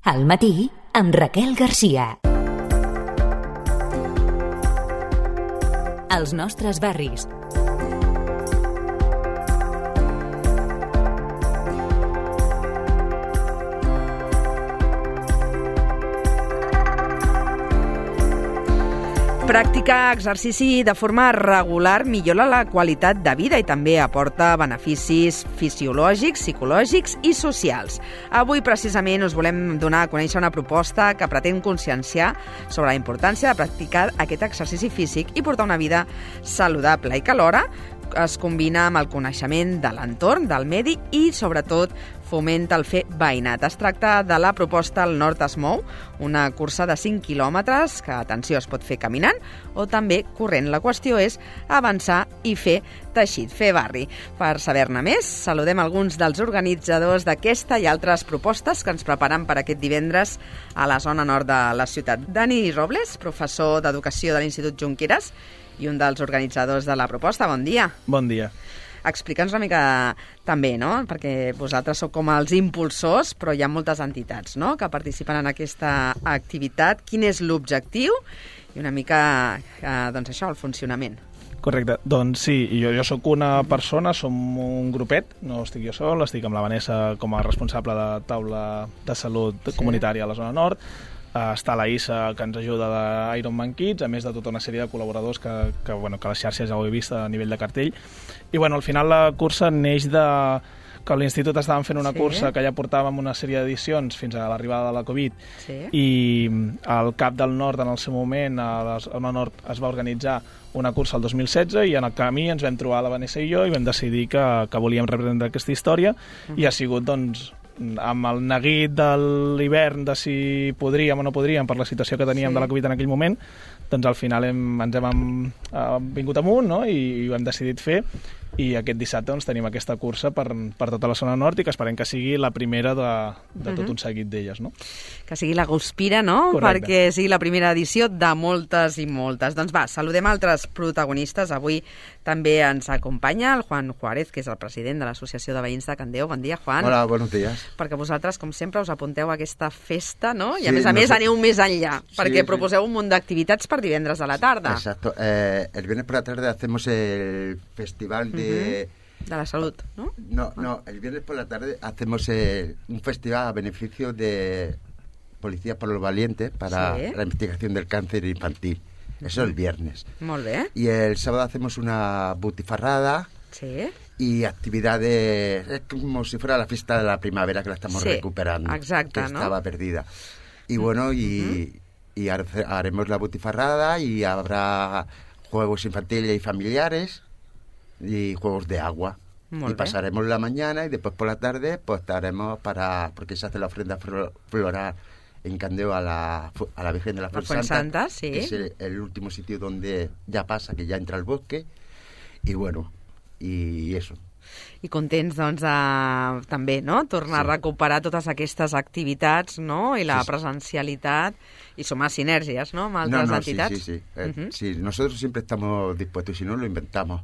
Al matí, amb Raquel Garcia. Els nostres barris. Practicar exercici de forma regular millora la qualitat de vida i també aporta beneficis fisiològics, psicològics i socials. Avui, precisament, us volem donar a conèixer una proposta que pretén conscienciar sobre la importància de practicar aquest exercici físic i portar una vida saludable i que alhora es combina amb el coneixement de l'entorn, del medi i, sobretot, fomenta el fer veïnat. Es tracta de la proposta El Nord es mou, una cursa de 5 quilòmetres que, atenció, es pot fer caminant o també corrent. La qüestió és avançar i fer teixit, fer barri. Per saber-ne més, saludem alguns dels organitzadors d'aquesta i altres propostes que ens preparen per aquest divendres a la zona nord de la ciutat. Dani Robles, professor d'Educació de l'Institut Junqueras i un dels organitzadors de la proposta. Bon dia. Bon dia. Explica'ns una mica també, no? Perquè vosaltres sou com els impulsors, però hi ha moltes entitats, no?, que participen en aquesta activitat. Quin és l'objectiu i una mica, doncs això, el funcionament? Correcte. Doncs sí, jo sóc una persona, som un grupet, no estic jo sol, estic amb la Vanessa com a responsable de taula de salut comunitària a la zona nord. Està la Issa, que ens ajuda d'Ironman Kids, a més de tota una sèrie de col·laboradors que les xarxes ja ho he vist a nivell de cartell. I al final la cursa neix de que a l'Institut estàvem fent una cursa que ja portàvem una sèrie d'edicions fins a l'arribada de la Covid, i al CAP del Nord, en el seu moment, a la zona nord, es va organitzar una cursa el 2016 i en el camí ens vam trobar la Vanessa i jo i vam decidir que volíem reprendre aquesta història i ha sigut, doncs, amb el neguit de l'hivern de si podríem o no podríem per la situació que teníem de la Covid en aquell moment, doncs al final ens hem vingut amunt, no?, i ho hem decidit fer, i aquest dissabte doncs, tenim aquesta cursa per tota la zona nord i que esperem que sigui la primera de tot un seguit d'elles, no? Que sigui la Guspira, no? Correcte. Perquè sigui la primera edició de moltes i moltes. Doncs va, saludem altres protagonistes. Avui també ens acompanya el Juan Juárez, que és el president de l'Associació de Veïns de Candeo. Bon dia, Juan. Hola, buenos días. Perquè vosaltres, com sempre, us apunteu a aquesta festa, no? I a més aneu més enllà, perquè proposeu un munt d'activitats per divendres a la tarda. Exacto. El viernes por la tarde hacemos el festival de la salud, ¿no? No, el viernes por la tarde hacemos un festival a beneficio de Policías por los Valientes para la investigación del cáncer infantil. Eso el viernes. Molt bé. Y el sábado hacemos una butifarrada y actividades, es como si fuera la fiesta de la primavera que la estamos recuperando, exacte, que estaba perdida. Y bueno, y haremos la butifarrada y habrá juegos infantiles y familiares y juegos de agua. Y pasaremos la mañana y después por la tarde pues estaremos porque se hace la ofrenda floral en Candeo a la Virgen de la Fuensanta, que es el último sitio donde ya pasa, que ya entra al bosque, y bueno, y eso. I contents, doncs, de també, no?, tornar a recuperar totes aquestes activitats, no?, i la presencialitat, i sumar sinergies, no?, amb altres entitats. Sí. Sí, nosotros siempre estamos dispuestos, si no lo inventamos.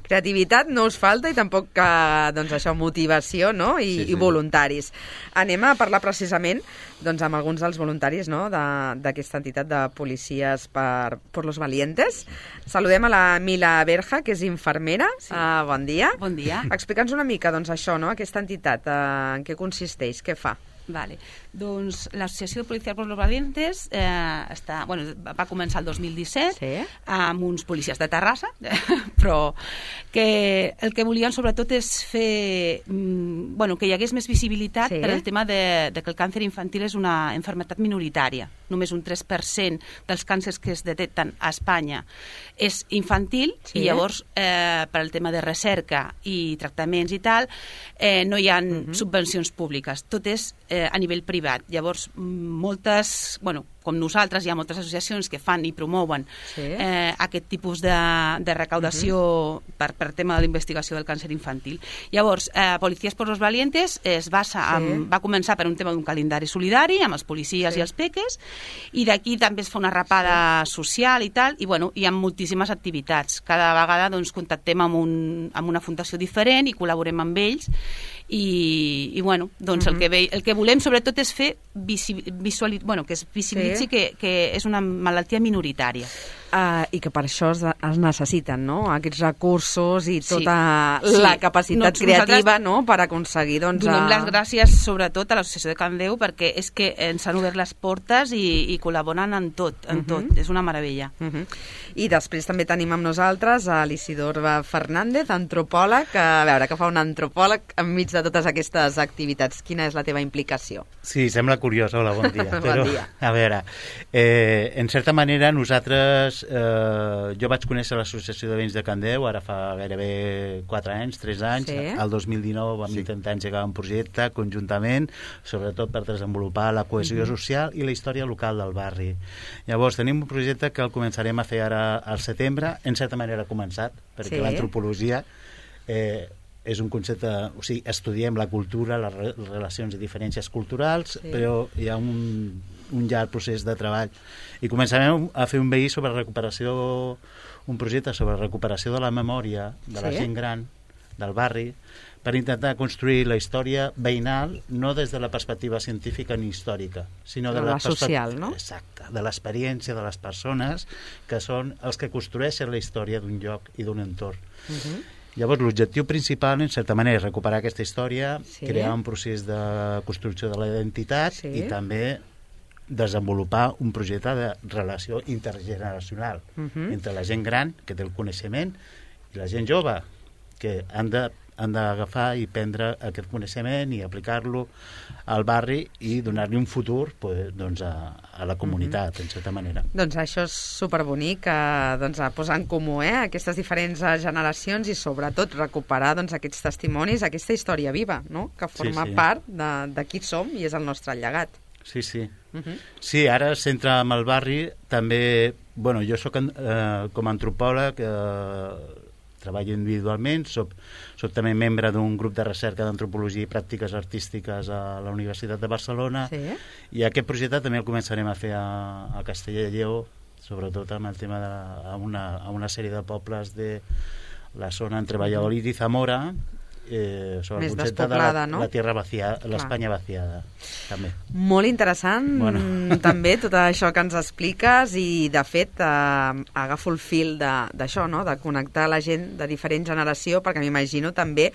Creativitat no us falta i tampoc, doncs això, motivació, no?, i voluntaris. Anem a parlar precisament, doncs, amb alguns dels voluntaris, no?, d'aquesta entitat de Policies por los Valientes. Saludem a la Mila Berja, que és infermera. Bon dia. Bon dia. Explica'ns una mica, doncs, això, no?, aquesta entitat, en què consisteix, què fa? Vale. Doncs l'Associació de Policies por los Valientes va començar el 2017 amb uns policies de Terrassa, però que el que volien sobretot és fer que hi hagués més visibilitat per al tema de que el càncer infantil és una malaltia minoritària. Només un 3% dels càncers que es detecten a Espanya és infantil i llavors per al tema de recerca i tractaments i tal no hi ha subvencions públiques, tot és a nivell privat. Llavors moltes com nosaltres, hi ha moltes associacions que fan i promouen aquest tipus de recaudació per tema de la investigació del càncer infantil. Llavors, Policías por los Valientes va començar per un tema d'un calendari solidari amb els policies i els peques, i d'aquí també es fa una rapada social i tal, i bueno, hi ha moltíssimes activitats. Cada vegada doncs, contactem amb una fundació diferent i col·laborem amb ells, i bueno, doncs el que volem sobretot és fer que es visibilitzi que és una malaltia minoritària. I que per això es necessiten, no?, aquests recursos i tota la capacitat creativa, no?, per aconseguir... Donem les gràcies sobretot a l'Associació de Can Déu, perquè és que ens han obert les portes i col·laboren en tot, és una meravella. I després també tenim amb nosaltres a l'Isidor Fernández, antropòleg, a veure, què fa un antropòleg enmig de totes aquestes activitats? Quina és la teva implicació? Sí, sembla curiós, hola, bon dia. Bon dia. A veure, en certa manera nosaltres jo vaig conèixer l'Associació de Veïns de Can Déu ara fa gairebé 4 anys, 3 anys. El 2019 vam intentar engegar un projecte conjuntament, sobretot per desenvolupar la cohesió social i la història local del barri. Llavors tenim un projecte que el començarem a fer ara al setembre, en certa manera ha començat, perquè l'antropologia és un concepte, o sigui, estudiem la cultura, les relacions i diferències culturals, però hi ha un llarg procés de treball. I començarem a fer un projecte sobre recuperació de la memòria de la gent gran del barri, per intentar construir la història veïnal no des de la perspectiva científica ni històrica, sinó de la social, no? Exacte, de l'experiència de les persones que són els que construeixen la història d'un lloc i d'un entorn. Llavors, l'objectiu principal, en certa manera, és recuperar aquesta història, crear un procés de construcció de la identitat i també desenvolupar un projecte de relació intergeneracional entre la gent gran, que té el coneixement, i la gent jove, que han d'agafar i prendre aquest coneixement i aplicar-lo al barri i donar-li un futur a la comunitat, en certa manera. Doncs això és superbonic, posar en comú aquestes diferents generacions i sobretot recuperar aquests testimonis, aquesta història viva, no?, que forma part de qui som i és el nostre llegat. Sí. Sí, ara es centra en el barri, també, jo soc com a antropòleg, treballo individualment, soc també membre d'un grup de recerca d'antropologia i pràctiques artístiques a la Universitat de Barcelona, i aquest projecte també el començarem a fer a Castella i Lleó, sobretot amb el tema a una sèrie de pobles de la zona entre Valladolid i Zamora, sobre el concepte de la tierra vaciada, l'Espanya vaciada, també. Molt interessant, també, tot això que ens expliques, i, de fet, agafo el fil d'això, no?, de connectar la gent de diferent generació, perquè m'imagino també,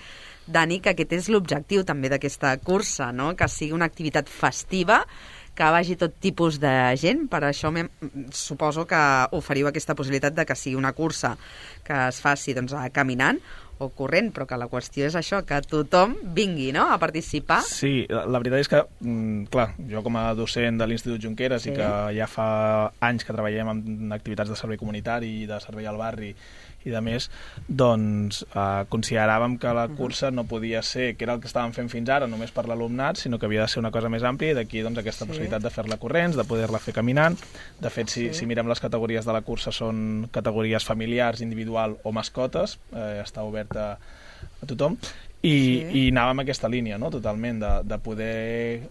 Dani, que aquest és l'objectiu també d'aquesta cursa, no?, que sigui una activitat festiva, que vagi tot tipus de gent. Per això suposo que oferiu aquesta possibilitat de que sigui una cursa que es faci caminant o corrent, però que la qüestió és això, que tothom vingui, no?, a participar. Sí, la veritat és que, clar, jo com a docent de l'Institut Junqueras i que ja fa anys que treballem en activitats de servei comunitari i de servei al barri i de més, doncs consideràvem que la cursa no podia ser, que era el que estàvem fent fins ara, només per l'alumnat, sinó que havia de ser una cosa més àmplia, i d'aquí aquesta possibilitat de fer-la corrents, de poder-la fer caminant. De fet, si mirem les categories de la cursa, són categories familiars, individual o mascotes, està oberta a tothom, i anàvem en aquesta línia, no?, totalment, de poder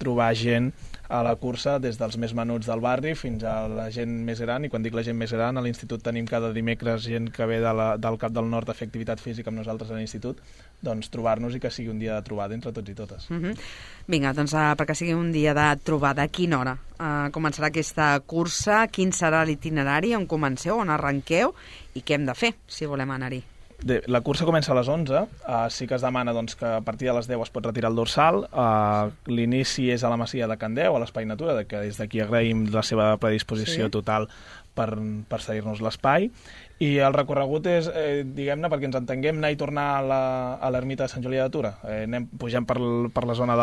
trobar gent a la cursa, des dels més menuts del barri fins a la gent més gran. I quan dic la gent més gran, a l'institut tenim cada dimecres gent que ve del Cap del Nord a fer activitat física amb nosaltres a l'institut, doncs trobar-nos i que sigui un dia de trobada entre tots i totes. Vinga, doncs perquè sigui un dia de trobada, a quina hora començarà aquesta cursa? Quin serà l'itinerari? On comenceu? On arrenqueu? I què hem de fer si volem anar-hi? La cursa comença a les 11, sí que es demana que a partir de les 10 es pot retirar el dorsal. L'inici és a la Masia de Can Déu, a l'Espai Natura, que des d'aquí agraïm la seva predisposició total per cedir-nos l'espai. I el recorregut és, diguem-ne, perquè ens entenguem, anar i tornar a l'ermita de Sant Julià de Tura. Pugem per la zona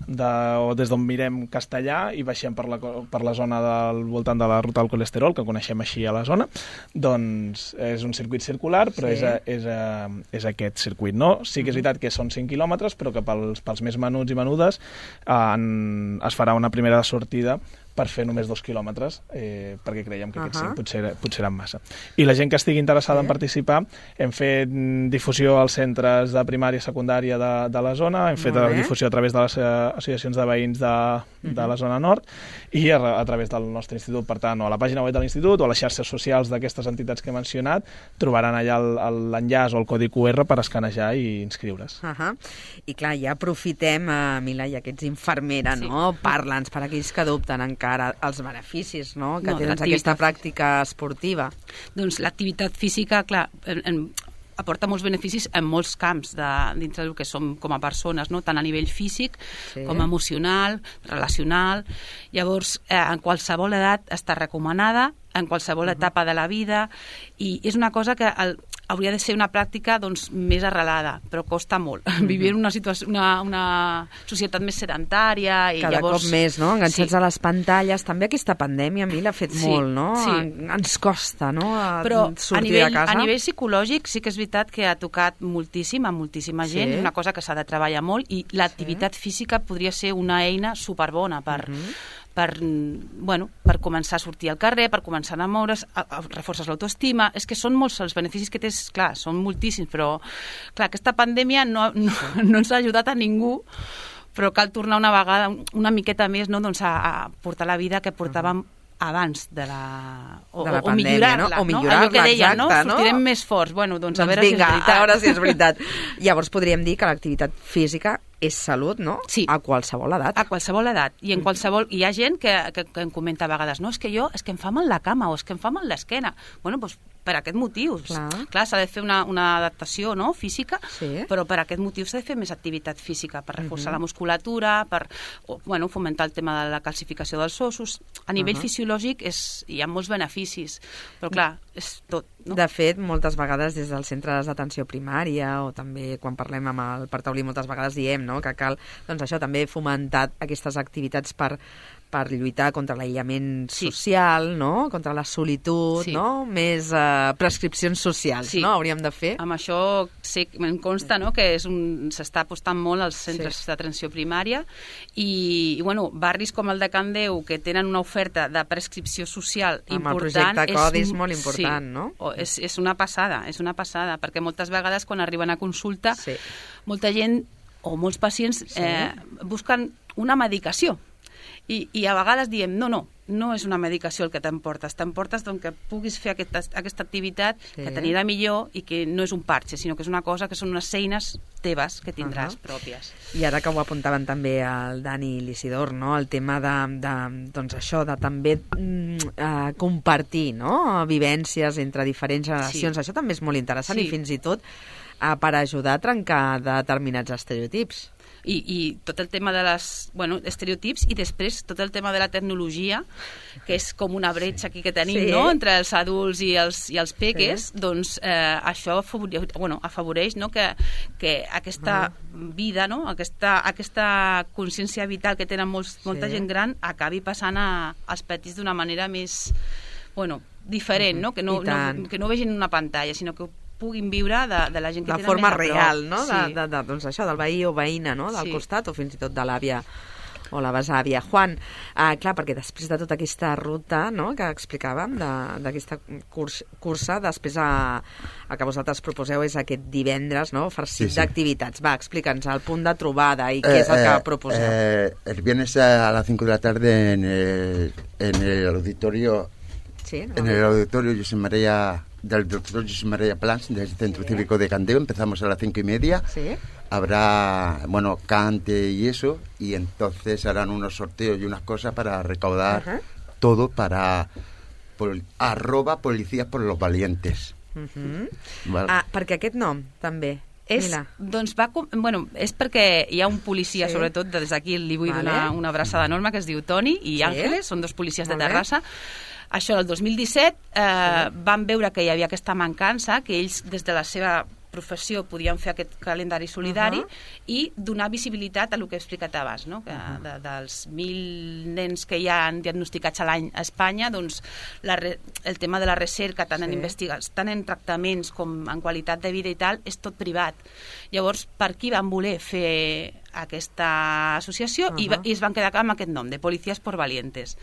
o des d'on mirem Castellà i baixem per la zona del voltant de la ruta del colesterol, que coneixem així a la zona. Doncs és un circuit circular, però és aquest circuit, no? Sí que és veritat que són 5 quilòmetres, però que pels més menuts i menudes es farà una primera sortida per fer només 2 quilòmetres, perquè creiem que aquests 5 potser eren massa. I la gent que estigui interessada en participar, hem fet difusió als centres de primària i secundària de la zona, hem fet difusió a través de les associacions de veïns de la zona nord i a través del nostre institut. Per tant, o a la pàgina web de l'institut o a les xarxes socials d'aquestes entitats que he mencionat, trobaran allà l'enllaç o el codi QR per escanejar i inscriure's. I clar, ja aprofitem, Mila, ja que ets infermera, no? Parla'ns, per aquells que dubten encara, els beneficis, no?, que tens aquesta pràctica esportiva. Doncs l'activitat física, clar, aporta molts beneficis en molts camps dintre del que som com a persones, no? Tant a nivell físic com emocional, relacional. Llavors, en qualsevol edat està recomanada, en qualsevol etapa de la vida, i és una cosa que hauria de ser una pràctica més arrelada, però costa molt. Vivir en una societat més sedentària i cada llavors... cop més, no?, enganxats a les pantalles. També aquesta pandèmia a mi l'ha fet molt, no? Ens costa, no?, sortir de casa. A nivell psicològic sí que és veritat que ha tocat moltíssim a moltíssima gent, una cosa que s'ha de treballar molt, i l'activitat física podria ser una eina superbona per començar a sortir al carrer, per començar a moure's, reforces l'autoestima. És que són molts els beneficis que tens, clar, són moltíssims, però clar, aquesta pandèmia no ens ha ajudat a ningú, però cal tornar una vegada, una miqueta més, no?, a portar la vida que portàvem abans de la pandèmia, no? O millorar-la, allò que deien, exacte, no? Sortirem més forts. Bueno, doncs a veure si és veritat. A veure si és veritat. Llavors podríem dir que l'activitat física és salut, no? Sí. A qualsevol edat. A qualsevol edat. I en qualsevol... Hi ha gent que em comenta a vegades, no, és que em fa mal la cama o és que em fa mal l'esquena. Bueno, doncs per aquest motiu. Clar, s'ha de fer una adaptació, no?, física, però per aquest motiu s'ha de fer més activitat física, per reforçar la musculatura, per fomentar el tema de la calcificació dels ossos. A nivell fisiològic hi ha molts beneficis, però clar, és tot. No? De fet, moltes vegades des dels centres d'atenció primària o també quan parlem amb el Partaulí moltes vegades diem, no?, que cal, doncs això, també fomentar aquestes activitats per lluitar contra l'aïllament social, no?, contra la solitud, no?, més prescripcions socials, no?, hauríem de fer. Amb això em consta, no?, que s'està apostant molt als centres d'atenció primària i barris com el de Can Déu, que tenen una oferta de prescripció social important. Amb el projecte CODI és molt important, no? És una passada, perquè moltes vegades quan arriben a consulta molta gent o molts pacients busquen una medicació i a vegades diem no és una medicació el que t'emportes doncs que puguis fer aquesta activitat que t'anirà millor i que no és un parche, sinó que és una cosa que són unes eines teves que tindràs pròpies. I ara que ho apuntaven també el Dani i l'Isidor, no?, el tema doncs això, de també compartir, no?, vivències entre diferents generacions. Això també és molt interessant i fins i tot per ajudar a trencar determinats estereotips. I tot el tema de les estereotips i després tot el tema de la tecnologia, que és com una bretxa aquí que tenim, no?, entre els adults i els peques, doncs això afavoreix, no?, que aquesta vida, no?, aquesta consciència vital que tenen molta gent gran acabi passant als petits d'una manera més diferent, no?, que no vegin una pantalla, sinó que puguin viure de la gent que tenen més a prop. De forma real, no?, doncs això, del veí o veïna, no?, del costat, o fins i tot de l'àvia o la besàvia. Juan, clar, perquè després de tota aquesta ruta, no?, que explicàvem, d'aquesta cursa, després el que vosaltres proposeu és aquest divendres, no?, farcit d'activitats. Va, explica'ns el punt de trobada i què és el que proposeu. El viernes a las 5 de la tarde en el auditorio José María del doctor José María Plans del Centro Cívico de Can Déu. Empezamos a las 5:30. Habrá, cante y eso, y entonces harán unos sorteos y unas cosas para recaudar todo para @policías por los valientes. Perquè aquest nom, també. Doncs és perquè hi ha un policia, sobretot des d'aquí li vull donar una abraçada enorme, que es diu Toni i Àngeles, són dos policies de Terrassa. Això, el 2017 van veure que hi havia aquesta mancança, que ells des de la seva professió podien fer aquest calendari solidari i donar visibilitat a el que he explicat abans, no? Que dels 1.000 nens que hi ha diagnosticats a l'any a Espanya, doncs el tema de la recerca, tant en investigacions, tant en tractaments com en qualitat de vida i tal, és tot privat. Llavors, per qui van voler fer aquesta associació i es van quedar amb aquest nom, de Policías por Valientes.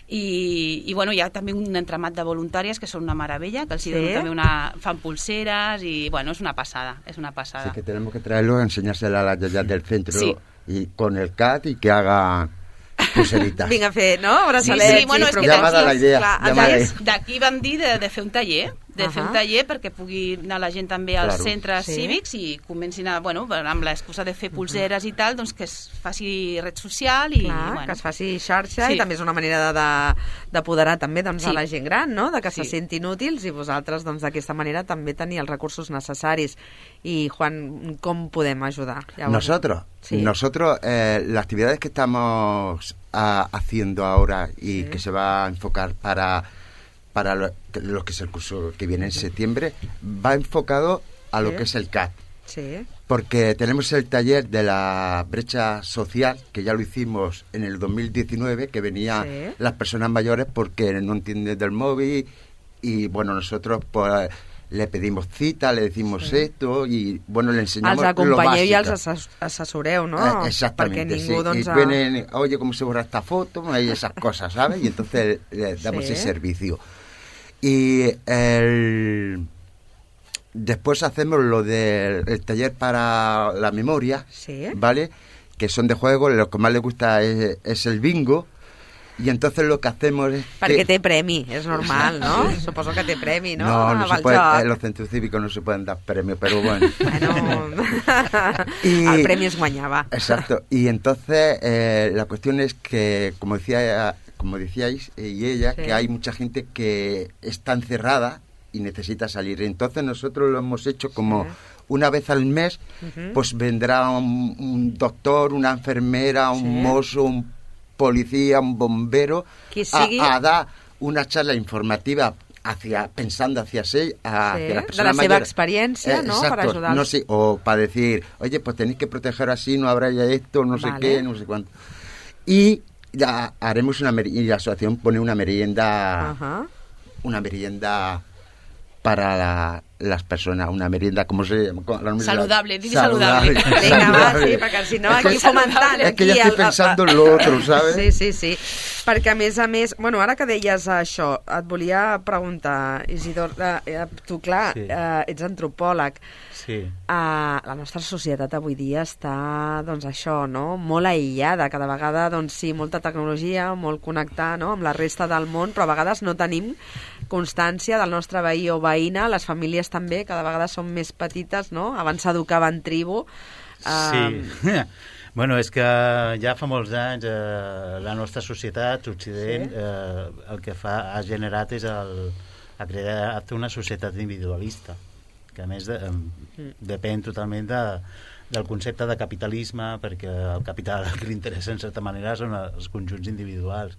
I bueno, hi ha també un entramat de voluntàries que són una meravella, que els donen també fan pulseres i bueno, és una passada, és una passada. Sí, que tenemos que traerlo a enseñársela a las yayas del centro y con el CAT y que haga pulseritas. Vinga a fer, no? Braçalets. Sí, bueno, és que d'aquí van dir de fer un taller, perquè pugui anar la gent també als centres cívics i comencin a, bueno, amb l'excusa de fer pulseres i tal, doncs que es faci red social i... Clar, que es faci xarxa i també és una manera d'apoderar també a la gent gran, no? De que se sentin útils i vosaltres d'aquesta manera també tenir els recursos necessaris. I Juan, ¿cómo podemos ayudar? Nosotros, las actividades que estamos haciendo ahora y que se va a enfocar para lo que es el curso que viene en septiembre, va enfocado a lo que es el CAT. Sí. Porque tenemos el taller de la brecha social, que ya lo hicimos en el 2019, que venían las personas mayores porque no entienden del móvil y bueno, nosotros pues le pedimos cita, le decimos esto y bueno, le enseñamos lo básico. Els acompanyeu i els assessoreu, ¿no? Exactamente, sí. Y vienen, oye, ¿cómo se borra esta foto? Y esas cosas, ¿sabes? Y entonces le damos ese servicio. Y después hacemos lo del taller para la memoria, ¿vale? Que son de juego, lo que más les gusta es el bingo. Y entonces lo que hacemos es... Perquè té premi, és normal, no? Suposo que té premi, no? No se puede, en los centros cívicos no se pueden dar premios, pero bueno. El premi es guanyava. Exacto. Y entonces la cuestión es que, como decíais, y ella, que hay mucha gente que está encerrada y necesita salir. Entonces nosotros lo hemos hecho como... Una vez al mes, pues vendrá un doctor, una enfermera, un mozo, un policía, un bombero, a dar una charla informativa pensando hacia las personas de la seva experiencia, ¿no? Exacto, para ayudar. No sé, o para decir, oye, pues tenéis que proteger así, no habrá ya esto, no sé qué, no sé cuánto. Y ya haremos y la asociación pone una merienda para las personas, una merienda, ¿cómo se llama? Saludable, saludable. Vinga, va, sí, perquè si no aquí fomentant... És que ja estic pensant en l'altre, ¿sabes? Sí. Perquè a més, bueno, ara que deies això, et volia preguntar, Isidor, tu, clar, ets antropòleg. Sí. La nostra societat avui dia està, doncs això, no?, molt aïllada, cada vegada, doncs sí, molta tecnologia, molt connectar, no?, amb la resta del món, però a vegades no tenim constància del nostre veí o veïna, les famílies també cada vegada són més petites, no? Abans s'educava en tribu. Sí. Bueno, és que ja fa molts anys la nostra societat, Occident, el que ha generat és ha creat una societat individualista, que a més depèn totalment del concepte de capitalisme, perquè el capital que li interessa en certa manera són els conjunts individuals.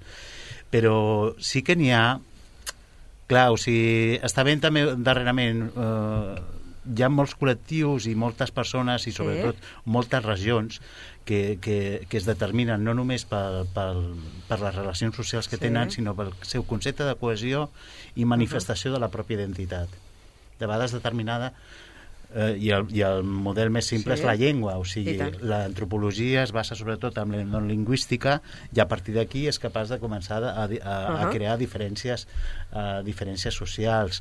Però sí que n'hi ha... Clar, o sigui, està ben també darrerament, hi ha molts col·lectius i moltes persones i sobretot moltes regions que es determinen no només per les relacions socials que tenen, sinó pel seu concepte de cohesió i manifestació de la pròpia identitat. De vegades determinada, i el model més simple és la llengua, o sigui, l'antropologia es basa sobretot en la lingüística i a partir d'aquí és capaç de començar a crear diferències socials.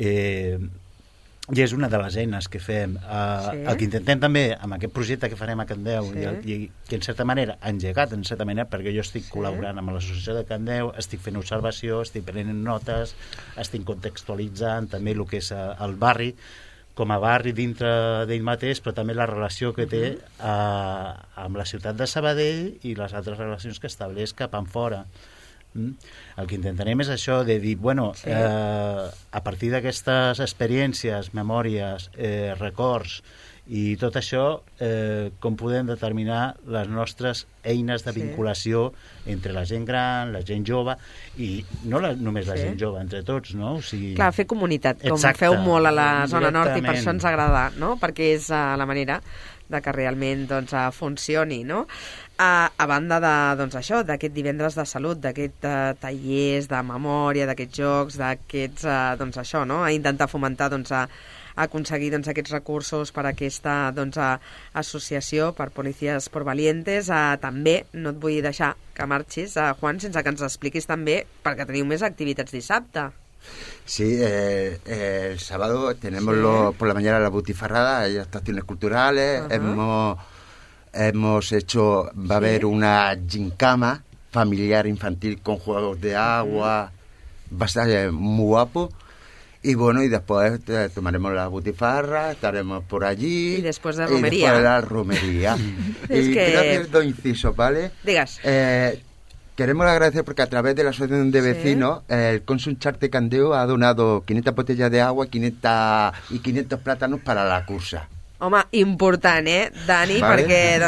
I és una de les eines que fem. El que intentem també amb aquest projecte que farem a Candeu i que en certa manera ha engegat, en certa manera, perquè jo estic col·laborant amb l'associació de Candeu, estic fent observació, estic prenent notes, estic contextualitzant també el que és el barri com a barri dintre d'ell mateix, però també la relació que té amb la ciutat de Sabadell i les altres relacions que estableix cap enfora. El que intentarem és això, de dir, bueno, a partir d'aquestes experiències, memòries, records i tot això, com podem determinar les nostres eines de vinculació entre la gent gran, la gent jove, i no només la gent jove, entre tots, no? O sigui... Clar, fer comunitat, com feu molt a la zona nord, i per això ens agrada, no? Perquè és la manera de que realment doncs, funcioni, no? A banda de, doncs, això, d'aquest divendres de salut, d'aquests tallers de memòria, d'aquests jocs, d'aquests, doncs això, no? A intentar fomentar doncs, aconseguir aquests recursos per a aquesta associació, per Policías por Valientes. També no et vull deixar que marxis, Juan, sense que ens expliquis també, perquè teniu més activitats dissabte. Sí, el sábado tenemos por la mañana la butifarrada, hay actuaciones culturales, hemos hecho, va a haber una gincama familiar infantil con juegos de agua, va a estar muy guapo. Y bueno, y después tomaremos la butifarra, estaremos por allí. Y después de romería. Y después de la romería. Y quiero hacer dos incisos, ¿vale? Digas. Queremos agradecer porque a través de la asociación de vecinos, el Consum Charte Candeu ha donado 500 botellas de agua y 500 plátanos para la cursa. Home, important, Dani? Vale. Perquè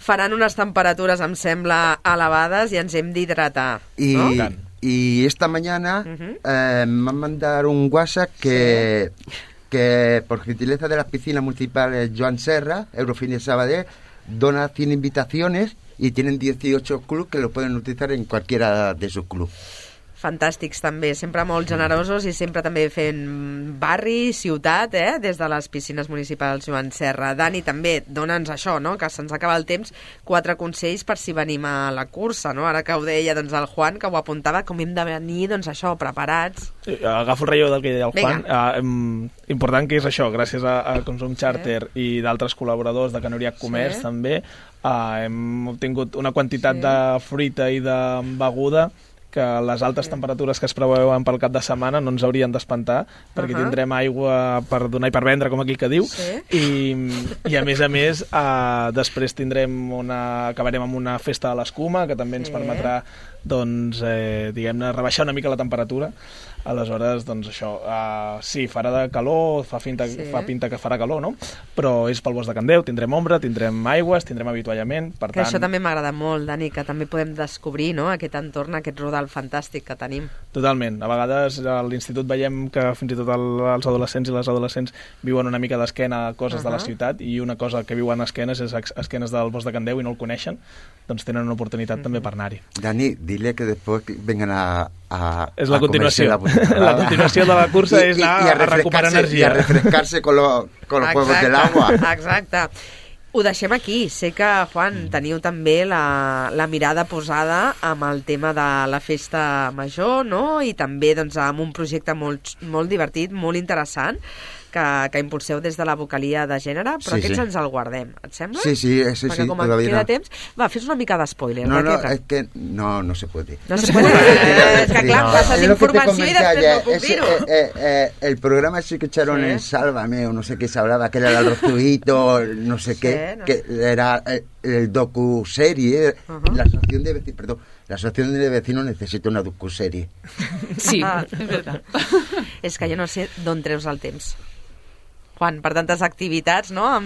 faran unes temperatures, em sembla, elevades i ens hem d'hidratar, no? Y esta mañana me han mandado un WhatsApp que por gentileza de las piscinas municipales Joan Serra, Eurofin Sabadell, dona 100 invitaciones y tienen 18 clubs que lo pueden utilizar en cualquiera de sus clubs. Fantàstics també, sempre molt generosos i sempre també fent barri, ciutat, des de les piscines municipals Joan Serra. Dani, també dona'ns això, no?, que se'ns acaba el temps, 4 consells per si venim a la cursa, no? Ara que ho deia el Juan, que ho apuntava, com hem de venir, això, preparats. Sí, agafo el relleu del que deia el Juan. Important que és això, gràcies a Consum Charter i d'altres col·laboradors de Canoriac Comerç també, hem obtingut una quantitat de fruita i de beguda que les altes temperatures que es preveuen pel cap de setmana no ens haurien d'espantar, perquè tindrem aigua per donar i per vendre, com aquí que diu, i a més, després acabarem amb una festa de l'escuma, que també ens permetrà, diguem-ne, rebaixar una mica la temperatura. Aleshores, això, sí, farà de calor, fa pinta que farà calor, no? Però és pel bosc de Candeu, tindrem ombra, tindrem aigües, tindrem avituallament, per tant... Això també m'agrada molt, Dani, que també podem descobrir, no?, aquest entorn, aquest rodal fantàstic que tenim. Totalment. A vegades a l'institut veiem que fins i tot els adolescents i les adolescents viuen una mica d'esquena a coses de la ciutat, i una cosa que viuen a esquenes és a esquenes del bosc de Candeu i no el coneixen, doncs tenen una oportunitat també per anar-hi. Dani, dile que després vengan és la continuació. La continuació de la cursa és anar a recuperar energia. I a refrescar-se con los juegos del agua. Exacte. Ho deixem aquí. Sé que, Juan, teniu també la mirada posada amb el tema de la festa major, no? I també amb un projecte molt divertit, molt interessant, que impulseu des de la vocalia de gènere, però aquests ens el guardem, et sembla? Sí, perquè com queda temps... Va, fes una mica d'espoiler. No se puede. No se puede. Es que clar, passes informació i després no puc dir-ho. El programa ese que echaron en Sálvame, o no sé qué se hablaba, que era el Arrozuito, no sé qué, que era el docu-serie, la asociación de vecinos necesita una docu-serie. Sí, és veritat. És que jo no sé d'on treus el temps. Juan, per tantes activitats, ¿no?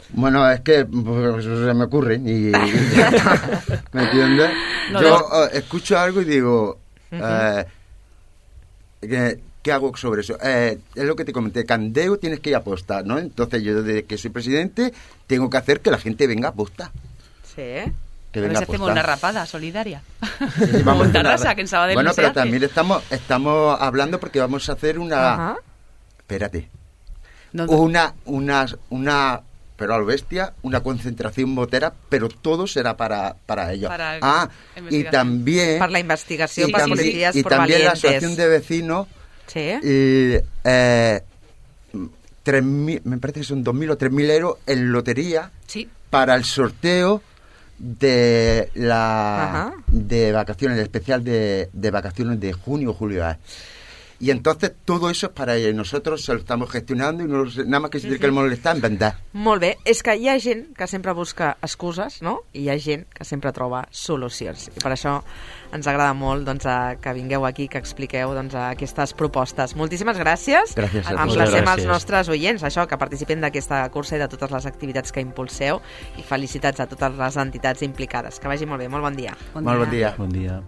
Bueno, es que se me ocurren y ¿me entiendes? Yo escucho algo y digo, ¿qué hago sobre eso? Es lo que te comenté, Candeu tienes que ir a apostar, ¿no? Entonces yo desde que soy presidente tengo que hacer que la gente venga a apostar. Sí. Que venga a veces hacemos una rapada solidaria. Sí, vamos a Tarrasa, que en Sabadell bueno, no se pero hace. También estamos hablando porque vamos a hacer una... Espérate. Una pero a lo bestia, una concentración motera, pero todo será para ellos. Y también... Para la investigación, para Policías por Valientes. Y también la asociación de vecinos... Sí. 3.000, me parece que son 2.000 o 3.000 euros en lotería para el sorteo de de vacaciones, el especial de vacaciones de junio o julio. Y entonces todo eso es para ellos. Nosotros se lo estamos gestionando y nada más que si queremos molestar en vender. Molt bé. És que hi ha gent que sempre busca excuses, no? I hi ha gent que sempre troba solucions. I per això ens agrada molt que vingueu aquí, que expliqueu aquestes propostes. Moltíssimes gràcies. Gràcies a tu. Emplacem als nostres oients, això, que participin d'aquesta cursa i de totes les activitats que impulseu. I felicitats a totes les entitats implicades. Que vagi molt bé. Molt bon dia. Molt bon dia. Bon dia.